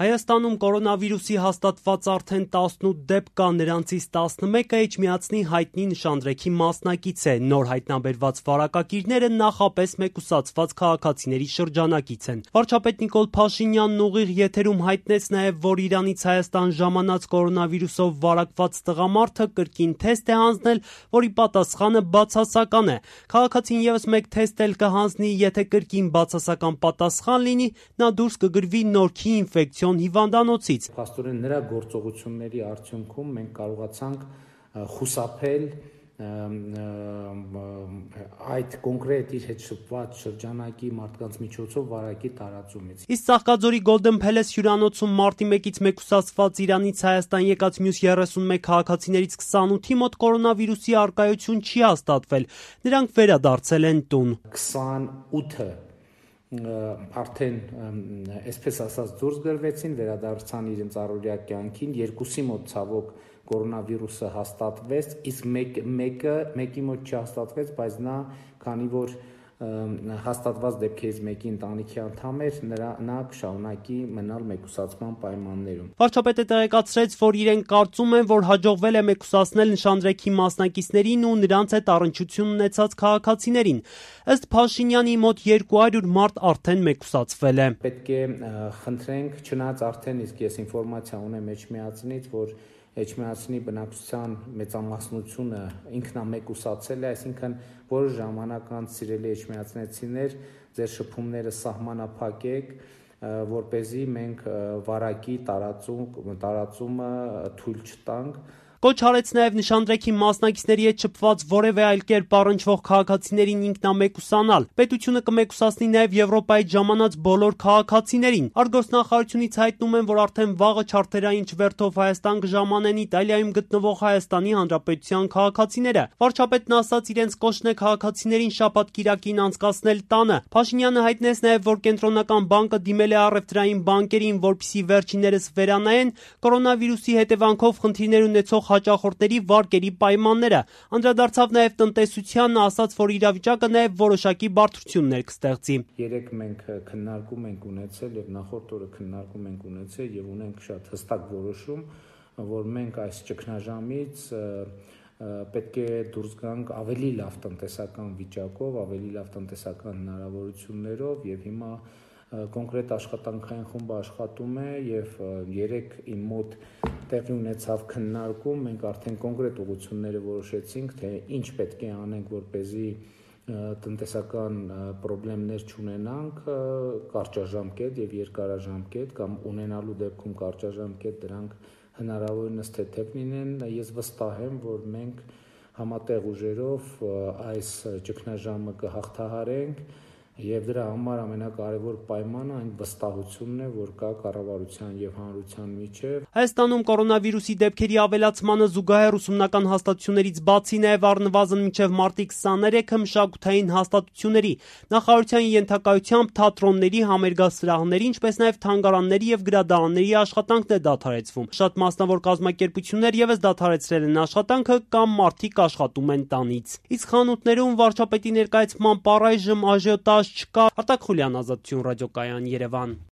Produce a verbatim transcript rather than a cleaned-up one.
Հայաստանում կորոնավիրուսի հաստատված արդեն տասնութ դեպք կա, նրանցից տասնմեկը Էջմիածնի հայտնի նշանдрեքի մասնակից է։ Նոր հայտնաբերված վարակակիրները նախապես մեկուսացված քաղաքացիների շրջանակից են։ Վարչապետ Նիկոլ Փաշինյանն ուղիղ եթերում հայտնեց նաև, որ Իրանից Հայաստան ժամանած կորոնավիրուսով վարակված տղամարդը կրկին թեստ է հանձնել, որի պատասխանը բացասական է։ Քաղաքացին ևս մեկ թեստ էլ կհանձնի, եթե կրկին բացասական պատասխան լինի, նա դուրս կգրվի Նորքի ինֆեկցիոն հիվանդանոցից։ Փաստորեն նրա գործողությունների արդյունքում մենք կարողացանք խուսափել այդ կոնկրետ իր հետ շփված շրջանակի մարդկանց միջոցով վարակի տարածումից։ Իսկ Ծաղկաձորի Golden Palace հյուրանոցում մարտի մեկից մեկուսացված Իրանից Հայաստան եկած մյուս երեսունմեկ քաղաքացիներից քսանութի մոտ կորոնավիրուսի առկայություն չի հաստատվել։ Նրանք վերադարձել են տուն։ քսանութը արդեն այսպես ասած դուրս գրվեցին, վերադարձան իրենց առօրյա կյանքին, երկուսի մոտ ցավոք կորոնավիրուսը հաստատվեց, իսկ մեկ, մեկը մեկի մոտ չհաստատվեց, բայց նա քանի որ հաստատված դեպքերից մեկի ընտանիքի անդամ էր, նրա նա կշարունակի մնալ մեկուսացման պայմաններում։ Վարչապետը տեղեկացրեց, որ իրենք կարծում են, որ հաջողվել է մեկուսացնել նշանдрեքի մասնակիցներին ու նրանց հետ առնչություն ունեցած քաղաքացիներին։ Ըստ Փաշինյանի մոտ երկու հարյուր մարդ արդեն մեկուսացվել է։ Պետք է խնդրենք, չնայած արդեն իսկ ես ինֆորմացիա ունեմ Էջմիածնից, որ Էջմիածնի բնակչության մեծամասնությունը ինքնամեկուսացել է, այսինքն որոշ ժամանակ անց սիրելի էջմիածնեցիներ, ձեր շփումները սահմանափակեք, որպեսզի մենք վարակի տարածում, տարածումը թույլ չտանք։ Կոչ արեց նաև նշանдрեքի մասնակիցների հետ շփված որևէ այլ կերպ առնչվող քաղաքացիներին ինքնամեկուսանալ։ Պետությունը կմեկուսացնի նաև Եվրոպայից ժամանած բոլոր քաղաքացիներին։ Արտգործնախարարությունից հայտնում են, որ արդեն վաղը չարթերային չվերթով Հայաստան կժամանեն Իտալիայում գտնվող Հայաստանի Հանրապետության քաղաքացիները։ Վարչապետն ասաց, իրենց կոչն է քաղաքացիներին շաբաթ-կիրակին անցկացնել տանը։ Փաշինյանը հայտնեց նաև, որ Կենտրոնական բանկը դիմել է առևտրային բանկերին, որպեսզի վերջիններս վերանայեն կորոնավիրուսի հետևանքով խնդիրներ ունեցող հաճախորդների վարկերի պայմանները։ Անդրադարձավ նաև տնտեսությանն, ասաց, որ իրավիճակը նաև որոշակի բարդություններ կստեղծի։ Երեք մենք քննարկում ենք ունեցել եւ նախորդ օրը քննարկում ենք ունեցել եւ ունենք շատ հստակ որոշում, որ մենք այս ճգնաժամից պետք է դուրս գանք ավելի լավ տնտեսական վիճակով, ավելի լավ տնտեսական հնարավորություններով եւ հիմա կոնկրետ աշխատանքային խումբը աշխատում է եւ երեք իմ մոտ տեղի ունեցավ քննարկում, մենք արդեն կոնկրետ ուղղությունները որոշեցինք, թե ինչ պետք է անենք, որպեսզի տնտեսական խնդիրներ չունենանք կարճաժամկետ եւ երկարաժամկետ կամ ունենալու դեպքում կարճաժամկետ դրանք հնարավորինս թեթև լինեն։ Ես վստահ եմ, որ մենք համատեղ ուժերով այս ճգնաժամը կհաղթահարենք եւ դրա համար ամենակարևոր պայմանը այն վստահությունն է, որ կա կառավարության եւ հանրության միջեւ։ Հայաստանում կորոնավիրուսի դեպքերի ավելացմանը զուգահեռ ուսումնական հաստատություններից բացի նաև առնվազն մինչև մարտի քսաներեքը մշակութային հաստատությունների, նախարարության ենթակայությամբ թատրոնների, համերգասրահների, ինչպես նաև թանգարանների եւ գրադարանների աշխատանքն է դադարեցվում։ Շատ մասնավոր կազմակերպություններ եւս դադարեցրել են աշխատանքը կամ մարդիկ աշխատում են տանից։ Իսկ խանութներում վարչապետի ներկայացմամբ առայժմ աժիոտաժ չկա։ Արտակ Խուլյան, Ազատություն ռադիոկայան, Երևան։